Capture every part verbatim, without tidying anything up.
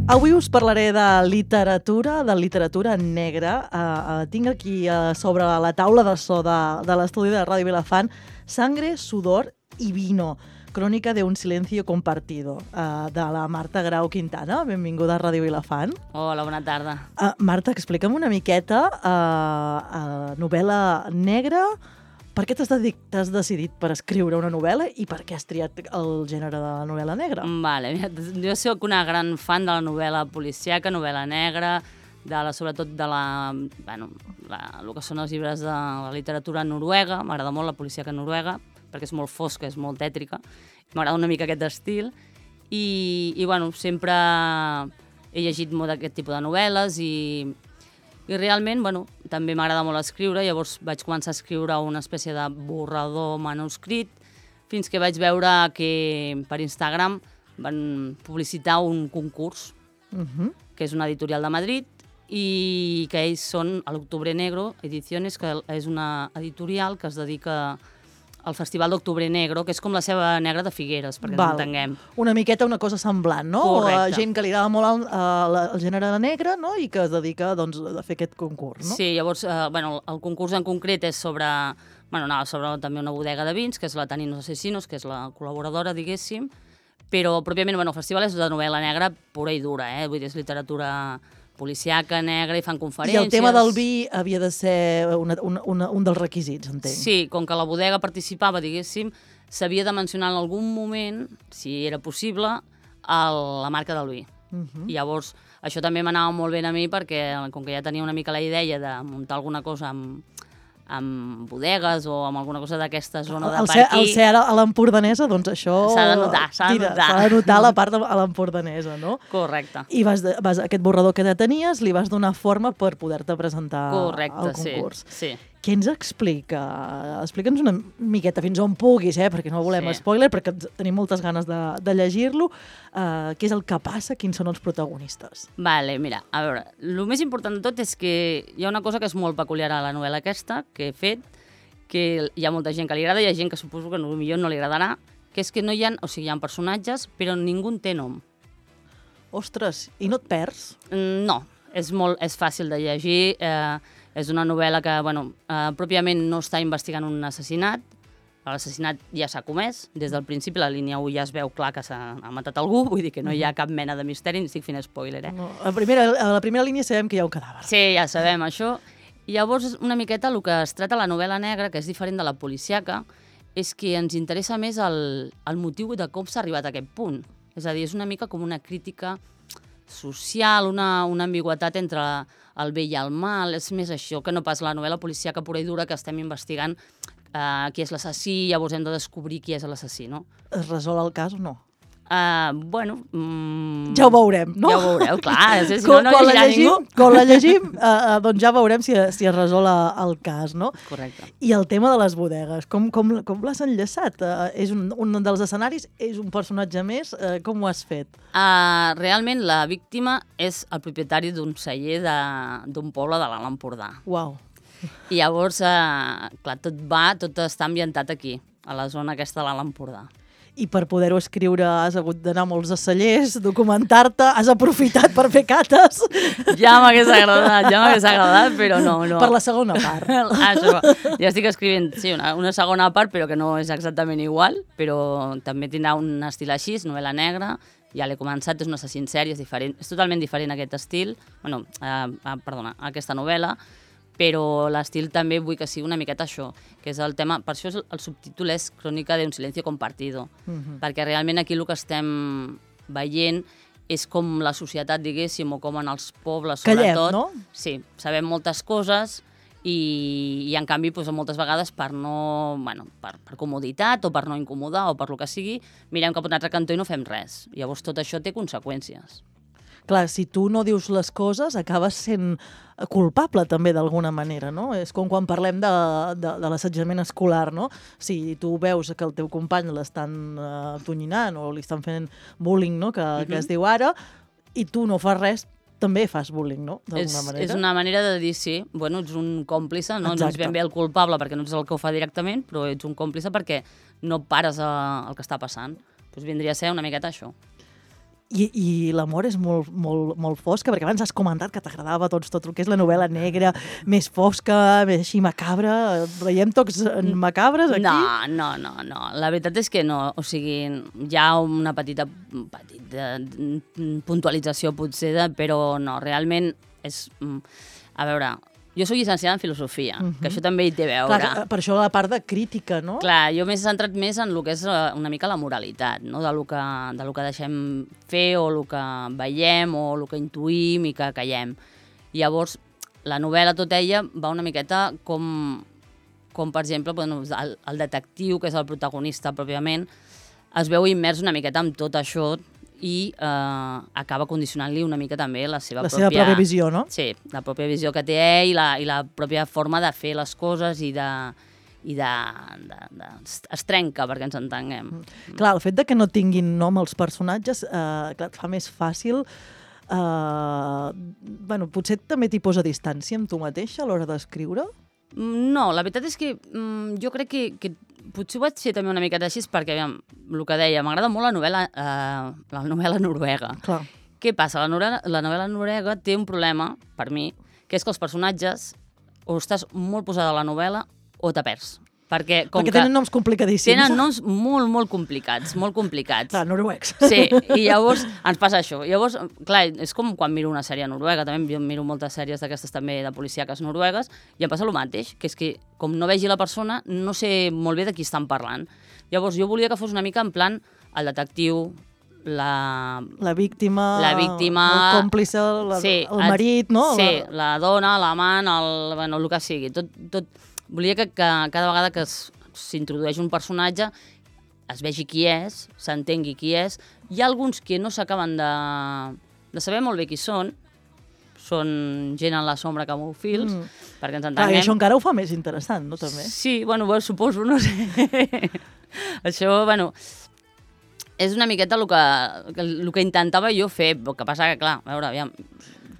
Avui us parlaré de literatura, de literatura negra. Uh, uh, tinc aquí uh, sobre la taula de so de, de l'estudi de Ràdio Vilafant Sangre, sudor y vino, crònica de un silencio compartido, uh, de la Marta Grau Quintana. Benvinguda a Ràdio Vilafant. Hola, bona tarda. Uh, Marta, explica'm una miqueta uh, uh, novel·la negra. Per què t'has dedic- t'has decidit per escriure una novel·la i per què has triat el gènere de la novel·la negra? Vale, mira, jo soc una gran fan de la novel·la policíaca, novel·la negra, de la, sobretot de la, bueno, la, el que són els llibres de la literatura noruega. M'agrada molt la policíaca noruega, perquè és molt fosca, és molt tètrica. M'agrada una mica aquest estil. I, i bueno, sempre he llegit molt d'aquest tipus de novel·les i, i realment, bueno, també m'agrada molt escriure. Llavors vaig començar a escriure una espècie de borrador manuscrit, fins que vaig veure que per Instagram van publicitar un concurs, Uh-huh. que és una editorial de Madrid, i que ells són a l'Octubre Negro Ediciones, que és una editorial que es dedica al Festival d'Octubre Negro, que és com la seva negra de Figueres, perquè ens entenguem. Una miqueta una cosa semblant, no? Correcte. Uh, gent que li agrada molt el, uh, el gènere negre, no? I que es dedica doncs, a fer aquest concurs, no? Sí, llavors, eh, bueno, el concurs en concret és sobre, bueno, no, sobre també una bodega de vins, que és la Taninos Asesinos, que és la col·laboradora, diguéssim, però pròpiament, bueno, el festival és de novel·la negra pura i dura, eh? Vull dir, és literatura policiaca, negra, i fan I conferències. el tema del vi havia de ser una, una, una, un dels requisits, entenc. Sí, com que la bodega participava, diguéssim, s'havia de mencionar en algun moment, si era possible, el, la marca del vi. Uh-huh. I llavors, això també m'anava molt bé a mi perquè, com que ja tenia una mica la idea de muntar alguna cosa amb, amb bodegues o amb alguna cosa d'aquesta zona de El per ser, aquí... el ser a l'empordanesa, doncs això... S'ha de notar, s'ha de tira, notar. S'ha de notar la part de a l'empordanesa, no? Correcte. I vas, de, vas aquest borrador que ja tenies, li vas donar forma per poder-te presentar Correcte, al concurs. sí, sí. Què ens explica? Explica'ns una miqueta, fins on puguis, eh? Perquè no volem Sí. spoiler, perquè tenim moltes ganes de, de llegir-lo. Uh, què és el que passa? Quins són els protagonistes? Vale, mira, a veure, el més important de tot és que hi ha una cosa que és molt peculiar a la novel·la aquesta, que he fet, que hi ha molta gent que li agrada, hi ha gent que suposo que potser no li agradarà, que és que no hi ha, o sigui, hi ha personatges, però ningú en té nom. Ostres, i no et perds? Mm, No, és, molt, és fàcil de llegir, eh, és una novel·la que, bueno, eh, pròpiament no està investigant un assassinat, l'assassinat ja s'ha comès, des del principi la línia u ja es veu clar que s'ha ha matat algú, vull dir que no hi ha cap mena de misteri, ni estic fent spoiler, eh? No, a, la primera, a la primera línia sabem que hi ha un cadàver. Sí, ja sabem això. I llavors, una miqueta, el que es trata la novel·la negra, que és diferent de la policiaca, és que ens interessa més el, el motiu de com s'ha arribat a aquest punt. És a dir, és una mica com una crítica social, una, una ambigüetat entre el bé i el mal, és més això que no pas la novel·la policíaca pura i dura que estem investigant uh, qui és l'assassí, llavors hem de descobrir qui és l'assassí, no? Es resol el cas o no? Uh, bueno... Mm, Ja ho veurem, no? Ja ho veureu, clar. Si no, Quan- no quan la llegirà llegim, ningú. quan la llegim, uh, uh, doncs ja veurem si, si es resol el cas, no? Correcte. I el tema de les bodegues, com, com, com l'has enllaçat? Uh, és un, un dels escenaris? És un personatge més? Uh, com ho has fet? Uh, realment, la víctima és el propietari d'un celler de- d'un poble de l'Alt Empordà. Uau. I llavors, uh, clar, tot va, tot està ambientat aquí, a la zona aquesta de l'Alt Empordà. I per poder-ho escriure has hagut d'anar a molts a cellers, documentar-te, has aprofitat per fer cates Ja m'hagués agradat, ja m'hagués agradat, però no, no. per la segona part. Això, ja estic escrivint, sí, una, una segona part, però que no és exactament igual, però també tindrà un estil així, novel·la negra, ja l'he començat, és un assassí en sèrie, és diferent, és totalment diferent aquest estil, bueno, eh, eh, perdona, aquesta novel·la, però l'estil també vull que sigui una miqueta això, que és el tema, per això és el, el subtítol és Crònica d'un silencio compartido, Mhm. perquè realment aquí el que estem veient és com la societat, diguéssim, o com en els pobles, Callem, sobretot. no? Sí, sabem moltes coses i, i en canvi, doncs, moltes vegades per no, bueno, per, per comoditat o per no incomodar o per lo que sigui, mirem cap a un altre cantó i no fem res. Llavors tot això té conseqüències. Clar, si tu no dius les coses, acabes sent culpable també d'alguna manera, no? És com quan parlem de, de, de l'assetjament escolar, no? Si tu veus que el teu company l'estan uh, tonyinant o li estan fent bullying, no? Que, uh-huh. que es diu ara, i tu no fas res, també fas bullying, no? És, manera. és una manera de dir, sí, bueno, ets un còmplice, no, no ets Exacte. ben bé el culpable perquè no ets el que ho fa directament, però ets un còmplice perquè no pares a, el que està passant. Doncs vindria a ser una miqueta això. I, i l'amor és molt, molt, molt fosca, perquè abans has comentat que t'agradava doncs, tot el que és la novel·la negra, més fosca, més així macabra. Veiem tocs macabres aquí? No, no, no, no. La veritat és que no. O sigui, hi ha una petita, petita puntualització potser, però no, realment és... A veure... Jo soc llicenciada en filosofia, uh-huh. que això també hi té a veure. Clar, per això la part de crítica, no? Clar, jo m'he centrat més en el que és una mica la moralitat, no? de, lo que, de lo que deixem fer o el que veiem o el que intuïm i que callem. Llavors, la novel·la, tot ella, va una miqueta com, com per exemple, bueno, el, el detectiu, que és el protagonista pròpiament, es veu immers una miqueta amb tot això i eh, acaba condicionant-li una mica també la seva la pròpia... seva pròpia visió, no? Sí, la pròpia visió que té ell i la, i la pròpia forma de fer les coses i de... i de, de, de, es trenca perquè ens entenguem. Mm. Clar, el fet de que no tinguin nom els personatges eh, clar, et fa més fàcil eh, bueno, potser també t'hi posa distància amb tu mateixa a l'hora d'escriure? No, la veritat és que mm, jo crec que, que potser ho vaig fer també una miqueta així perquè, aviam, el que deia, m'agrada molt la novel·la, eh, la novel·la noruega. Clar. Què passa? La novel·la, la novel·la noruega té un problema, per mi, que és que els personatges o estàs molt posada a la novel·la o te perds. Perquè, com perquè que tenen noms complicadíssims. Tenen noms molt, molt complicats, molt complicats. Clar, noruecs. Sí, i llavors ens passa això. Llavors, clar, és com quan miro una sèrie noruega, també jo miro moltes sèries d'aquestes també de policíaques noruegues, i em passa el mateix, que és que com no vegi la persona, no sé molt bé de qui estan parlant. Llavors jo volia que fos una mica en plan el detectiu, la... La víctima, la víctima el còmplice, la, sí, el marit, no? Sí, la, la dona, l'amant, el, bueno, el que sigui. Tot, tot... Volia que, que cada vegada que s'introdueix un personatge es vegi qui és, s'entengui qui és. Hi ha alguns que no s'acaben de, de saber molt bé qui són, són gent en la sombra que mou fils, mm. perquè ens entenguem. Ah, i això encara ho fa més interessant, no, també? Sí, bueno, bueno suposo, no sé. Això, bueno, és una miqueta el que, el que intentava jo fer, el que passa que, clar, a veure, aviam,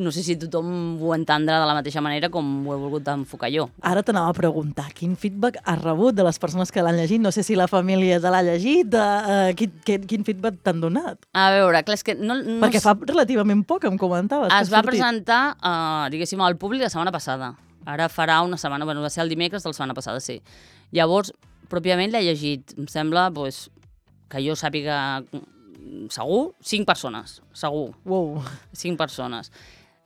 no sé si tothom ho entendrà de la mateixa manera com ho he volgut enfocar jo. Ara t'anava a preguntar, quin feedback has rebut de les persones que l'han llegit? No sé si la família te l'ha llegit, uh, quin, quin, quin feedback t'han donat? A veure, clar, és que no... no Perquè fa relativament poc, em comentaves. Es va presentar, uh, diguéssim, al públic la setmana passada. Ara farà una setmana, bueno, va ser el dimecres de la setmana passada, sí. Llavors, pròpiament l'he llegit, em sembla, pues, que jo sàpiga segur, cinc persones, segur. Wow. Cinc persones.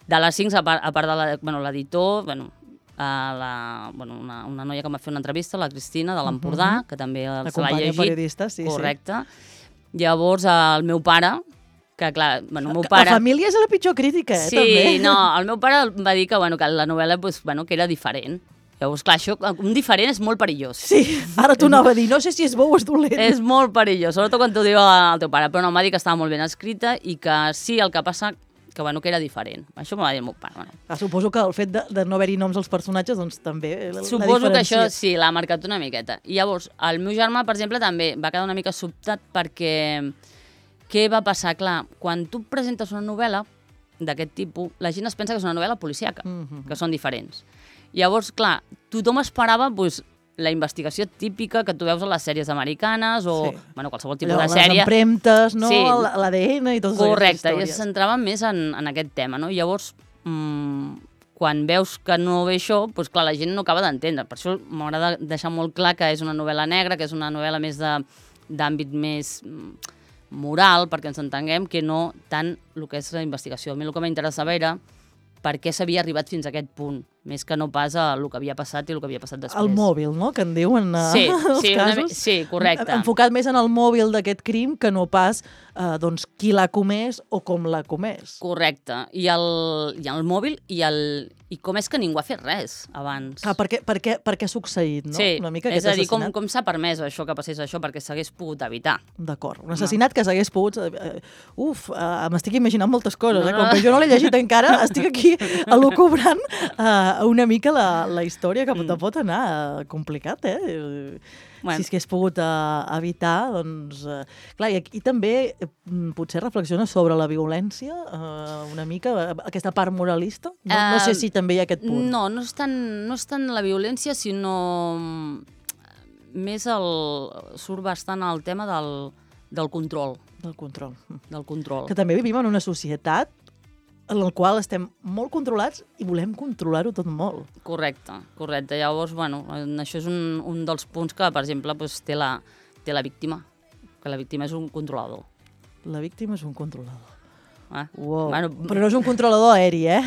De les cinc, a part, a part de la, bueno, l'editor, bueno, uh, la, bueno, una, una noia que m'ha fet una entrevista, la Cristina, de l'Empordà, uh -huh. que també la se l'ha llegit. periodista, sí, correcte. Sí. Llavors, el meu pare, que clar, bueno, el meu La pare... família és la pitjor crítica, eh, sí, també. Sí, no, el meu pare va dir que, bueno, que la novel·la pues, bueno, que era diferent. Llavors, clar, això, un diferent és molt perillós. Sí, ara t'ho anava a dir, no sé si és bo o és dolent. És molt perillós, sobretot quan t'ho diu el teu pare, però no, em va dir que estava molt ben escrita i que sí, el que passa que, bueno, que era diferent. Això m'ho va dir el meu pare. Bueno. Ah, suposo que el fet de, de no haver-hi noms als personatges, doncs també la, suposo la que això sí, l'ha marcat una miqueta. I llavors, el meu germà, per exemple, també va quedar una mica sobtat perquè què va passar? Clar, quan tu presentes una novel·la d'aquest tipus, la gent es pensa que és una novel·la policíaca, mm-hmm. que són diferents. Llavors, clar, tothom esperava pues, la investigació típica que tu veus a les sèries americanes o sí. bueno, qualsevol tipus Allò, de sèrie. Les empremtes, no? Sí. l'A D N i totes correcte, aquestes històries. i es centraven més en, en aquest tema, no? Llavors, mmm, quan veus que no ve això, doncs clar, la gent no acaba d'entendre. Per això m'agrada deixar molt clar que és una novel·la negra, que és una novel·la més d'àmbit més moral, perquè ens entenguem, que no tant el que és la investigació. A mi el que m'interessava era per què s'havia arribat fins a aquest punt, més que no pas a el que havia passat i el que havia passat després. El mòbil, no?, que en diuen uh, sí, els sí, casos. Una, sí, correcte. Enfocat més en el mòbil d'aquest crim que no pas uh, doncs, qui l'ha comès o com l'ha comès. Correcte. I el, i el mòbil i, el, i com és que ningú ha fet res abans. Ah, per, què, per, què, per què ha succeït, no? Sí, Una mica és a dir, com, com s'ha permès això, que passés això, perquè s'hagués pogut evitar. D'acord. Un assassinat no. que s'hagués pogut... Uh, uf, uh, m'estic imaginant moltes coses, no, eh? Com que jo no l'he llegit encara, estic aquí elucubrant uh, una mica la, la història que mm. pot anar uh, complicat, eh? Bueno. Si es hagués pogut uh, evitar, doncs... Uh, clar, i aquí també uh, potser reflexiona sobre la violència, uh, una mica, uh, aquesta part moralista. No, uh, no sé si també hi ha aquest punt. No, no és tant, no és tant la violència, sinó més el... surt bastant el tema del, del control. Del control. del control. Que també vivim en una societat en la qual estem molt controlats i volem controlar-ho tot molt. Correcte, correcte. Llavors, bueno, això és un, un dels punts que, per exemple, doncs, té, la, té la víctima, que la víctima és un controlador. La víctima és un controlador. Ah. Wow. Bueno, però no és un controlador aeri, eh?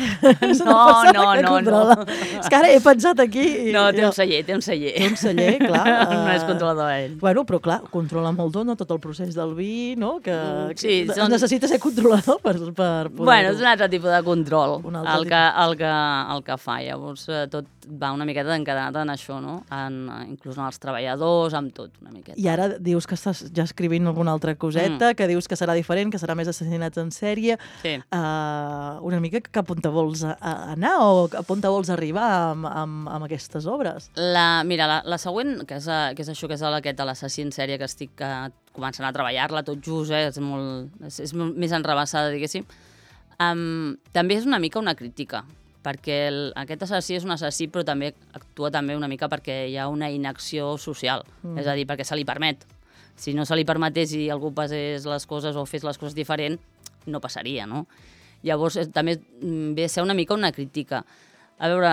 No, no, no, no. És que ara he pensat aquí... I... No, té un celler, té un celler. Té un celler, clar. Uh... No és controlador ell. Bueno, però clar, controla molt no? Tot el procés del vi, no? Que, sí, que són... necessita ser controlador per, per poder... Bueno, és un altre tipus de control el que, el, que, el que fa. Llavors, tot va una miqueta encadenat en això, no? En, inclús en els treballadors, amb tot, una miqueta. I ara dius que estàs ja escrivint alguna altra coseta, mm. que dius que serà diferent, que serà més assassinats en sèrie. Sí. Uh, una mica cap on te vols anar o cap on te vols arribar amb, amb, amb aquestes obres? La, mira, la, la següent, que és, que és això, que és aquest de l'assassí en sèrie, que estic uh, començant a treballar-la tot just, eh? és, molt, és, és més enrabassada, diguéssim, um, també és una mica una crítica, perquè el, aquest assassí és un assassí, però també actua també una mica perquè hi ha una inacció social, mm. és a dir, perquè se li permet. Si no se li permetés i algú passés les coses o fes les coses diferent, no passaria, no? Llavors, també ve a ser una mica una crítica. A veure,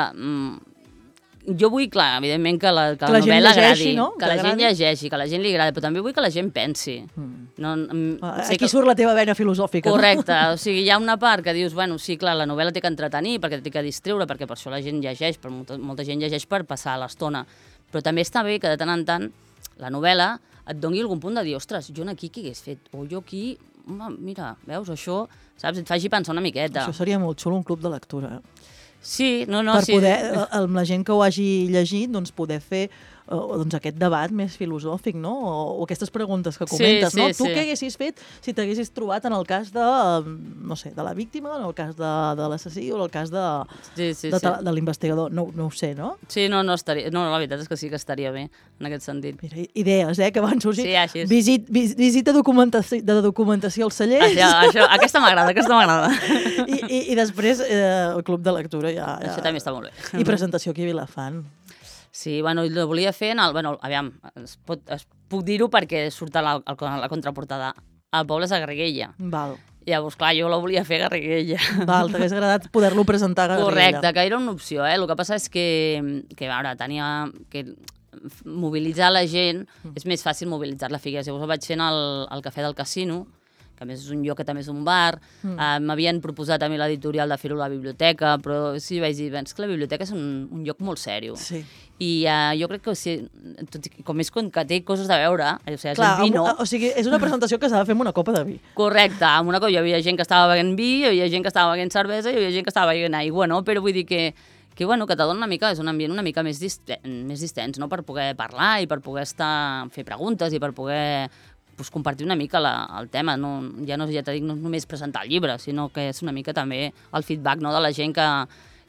jo vull, clar, evidentment, que la, que que la, la novel·la llegeixi, agradi, no? que, que la gent llegeixi, que la gent li agradi, però també vull que la gent pensi. Mm. No, Aquí que... surt la teva vena filosòfica. Correcte, no? O sigui, hi ha una part que dius, bueno, sí, clar, la novel·la té que entretenir, perquè té que distreure, perquè per això la gent llegeix, però molta, molta gent llegeix per passar l'estona. Però també està bé que de tant en tant la novel·la et doni algun punt de dir, ostres, jo aquí què hagués fet? O jo aquí, mira, veus, això, saps? Et faci pensar una miqueta. Això seria molt xulo, un club de lectura. Sí, no, no, per sí. poder, amb la gent que ho hagi llegit, doncs poder fer uh, doncs aquest debat més filosòfic, no? O, o aquestes preguntes que comentes, sí, sí, no? Tu sí. què haguessis fet si t'haguessis trobat en el cas de, uh, no sé, de la víctima, en el cas de, de l'assassí o en el cas de, sí, sí, de, sí. de l'investigador? No, no ho sé, no? Sí, no, no, estaria, no, la veritat és que sí que estaria bé, en aquest sentit. Mira, idees, eh, que van sorgir. Sí, així és. Visit, vis, visita documentació, de documentació als cellers. Això, això, aquesta m'agrada, aquesta m'agrada. I, i, I després eh, el club de lectura ja... ja... Això també està molt bé. I presentació aquí a Vilafant. Sí, bueno, lo volia fer en el... Bueno, aviam, es, pot, es puc dir-ho perquè surt a la, a la contraportada. El poble és a Garriguella. Val. Llavors, clar, jo la volia fer a Garriguella. Val, t'hagués agradat poder-lo presentar a Garriguella. Correcte, que era una opció, eh? El que passa és que, que a veure, tenia... Que mobilitzar la gent, mm. és més fàcil mobilitzar-la a Figueres. Llavors ho vaig fer al, al Cafè del Casino, que a més és un lloc que també és un bar. Mm. Uh, m'havien proposat a mi l'editorial de fer-ho a la biblioteca, però sí, vaig dir, és que la biblioteca és un, un lloc molt sèrio. Sí. I uh, jo crec que, o sigui, tot, com és que té coses de veure, o sigui, clar, el vi no... O sigui, és una presentació que s'ha de fer amb una copa de vi. Correcte, amb una copa. Hi havia gent que estava beguent vi, hi havia gent que estava beguent cervesa, hi havia gent que estava beguent aigua, no? Però vull dir que que, bueno, que te dona una mica, és un ambient una mica més, distens, més distens, no? Per poder parlar i per poder estar, fer preguntes i per poder pues, compartir una mica la, el tema. No, ja no, ja t'he dit, no només presentar el llibre, sinó que és una mica també el feedback, no? De la gent que,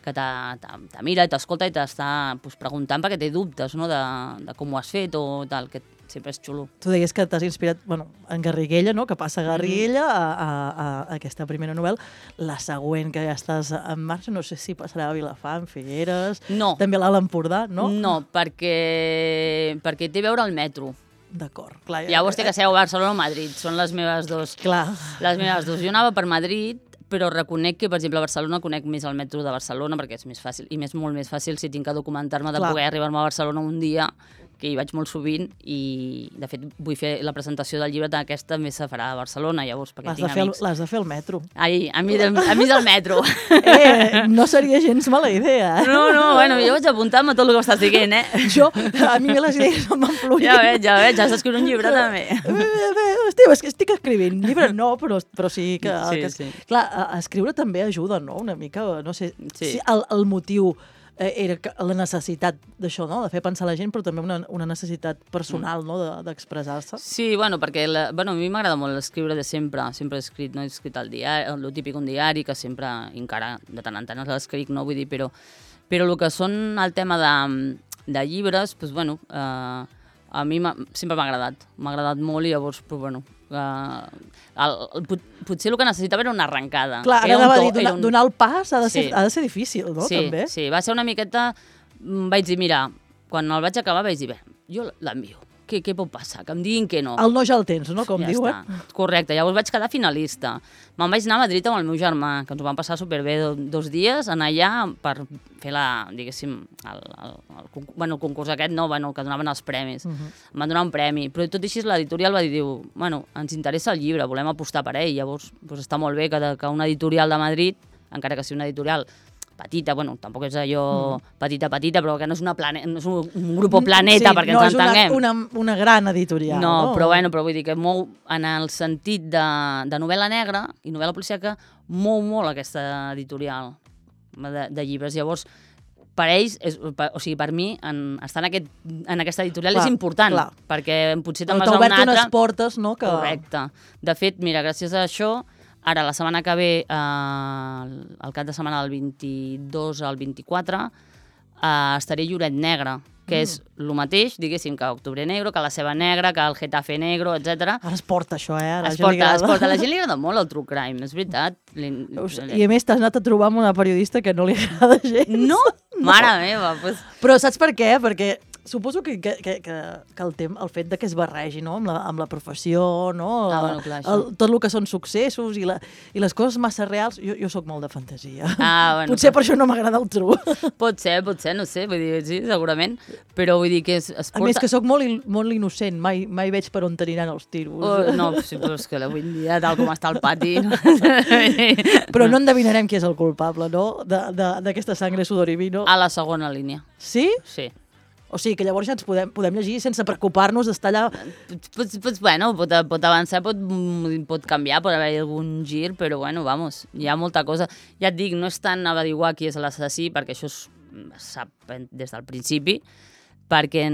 que te mira i t'escolta i t'està pues, preguntant perquè té dubtes, no? de, de com ho has fet o tal, que sempre és xulo. Tu deies que t'has inspirat, bueno, en Garriguella, no? Que passa a Garriguella, mm. a, a, a aquesta primera novel·la. La següent, que ja estàs en marxa, no sé si passarà a Vilafant, Figueres... No. També a l'Alt Empordà, no? No, perquè, perquè té a veure el metro. D'acord, clar. Ja, Llavors té que ser a Barcelona o Madrid, són les meves dos. Clar. Les meves dos. Jo anava per Madrid, però reconec que, per exemple, a Barcelona conec més el metro de Barcelona perquè és més fàcil, i més molt més fàcil si tinc que documentar-me de Clar. Poder arribar-me a Barcelona un dia, que hi vaig molt sovint, i de fet vull fer la presentació del llibre d'aquesta més se farà a Barcelona, llavors, perquè tinc amics. L'has de fer al metro. Ai, a mi, de, a mi del metro. Eh, no seria gens mala idea. Eh? No, no, bueno, jo vaig apuntar-me tot el que m'estàs dient, eh? Jo, a mi les idees em van fluir. Ja veig, ja veig, has d'escriure un llibre també. Hòstia, és que estic escrivint. Llibre no, però, però sí que... Sí, que sí. Clar, escriure també ajuda, no? Una mica, no sé, sí. si el, el motiu era la necessitat d'això, no? De fer pensar la gent, però també una, una necessitat personal, no? D'expressar-se. Sí, bueno, perquè la, bueno, a mi m'agrada molt escriure de sempre, sempre he escrit, no he escrit al diari, el típic un diari, que sempre, encara de tant en tant l'escric, no vull dir, però, però el que són el tema de, de llibres, doncs, bueno, eh, a mi sempre m'ha agradat, m'ha agradat molt i llavors, però, bueno, Uh, el, el, potser el que necessitava era una arrencada. Clar, ara anava a dir, donar, un... donar el pas ha de, ser, sí. ha de ser difícil, no? Sí, també. Sí, va ser una miqueta... Vaig dir, mira, quan el vaig acabar vaig dir, bé, jo l'envio. què, què pot passar? Que em diguin que no. El no ja el tens, no? Com ja diuen. Està. Correcte, llavors vaig quedar finalista. Me'n vaig anar a Madrid amb el meu germà, que ens ho vam passar superbé do, dos dies, anar allà per fer la, diguéssim, el, el, el, el, bueno, el concurs aquest, no, bueno, que donaven els premis. Uh -huh. Em van donar un premi, però tot i així l'editorial va dir, diu, bueno, ens interessa el llibre, volem apostar per ell, llavors doncs està molt bé que, de, que una editorial de Madrid, encara que sigui una editorial petita, bueno, tampoc és allò mm. petita, petita, però que no és, una plane... no és un, un grup planeta, sí, perquè no ens entenguem. No és una, una, una gran editorial. No, no, però bueno, però vull dir que mou en el sentit de, de novel·la negra i novel·la policíaca, mou molt aquesta editorial de, de llibres. Llavors, per ells, és, per, o sigui, per mi, en, estar en, aquest, en aquesta editorial clar, és important, clar. Perquè potser te'n vas a una altra... T'ha obert unes portes, no? Que... Correcte. De fet, mira, gràcies a això, ara, la setmana que ve, eh, el cap de setmana del vint-i-dos al vint-i-quatre, eh, estaré a Lloret Negre, que mm. és el mateix, diguéssim, que Octubre Negro, que la Ceba Negra, que el Getafe Negro, etcètera. Ara es porta això, eh? Es porta, es porta. A la gent li agrada molt el true crime, és veritat. I a més t'has anat a trobar amb una periodista que no li agrada gens. No? no. Mare meva. Pues... Però saps per què? Perquè suposo que, que, que, que el, tem, el fet de que es barregi, no? amb, la, amb la professió, no? Ah, bueno, clar, el, tot el que són successos i, la, i les coses massa reals, jo, jo sóc molt de fantasia. Ah, bueno, potser però... per això no m'agrada el true. Pot ser, pot ser, no sé, vull dir, sí, segurament, però vull dir que es, es porta... A més que sóc molt, molt innocent, mai, mai veig per on t'aniran els tiros. Oh, no, sí, però és que avui en dia, tal com està el pati... No? Però no endevinarem qui és el culpable, no?, d'aquesta sangre, sudor i vino. A la segona línia. Sí? Sí. O sigui que llavors ja ens podem, podem llegir sense preocupar-nos d'estar allà... Pues, pues, bueno, pot, pot avançar, pot, pot canviar, pot haver algun gir, però bueno, vamos, hi ha molta cosa. Ja et dic, no és tant averiguar qui és l'assassí, perquè això es sap des del principi, perquè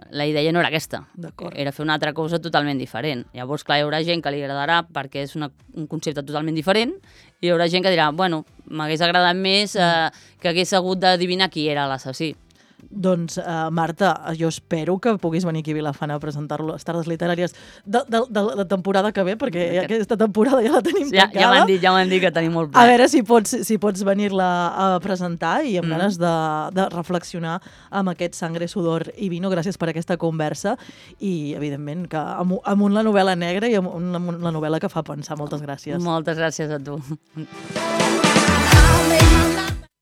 la idea no era aquesta. Era fer una altra cosa totalment diferent. Llavors, clar, hi haurà gent que li agradarà perquè és una, un concepte totalment diferent i hi haurà gent que dirà, bueno, m'hagués agradat més eh, que hagués hagut d'adivinar qui era l'assassí. Doncs, uh, Marta, jo espero que puguis venir aquí a Vilafant a presentar-lo a les tardes literàries de, de, de la temporada que ve, perquè ja aquesta temporada ja la tenim ja, tancada. Ja m'han dit, ja m'han dit que tenim molt ple. A veure si pots, si pots venir-la a presentar i amb mm. ganes de, de reflexionar amb aquest Sangre, Sudor i Vino. Gràcies per aquesta conversa i, evidentment, que amunt, amunt la novel·la negra i amunt, amunt la novel·la que fa pensar. Moltes gràcies. Moltes gràcies a tu.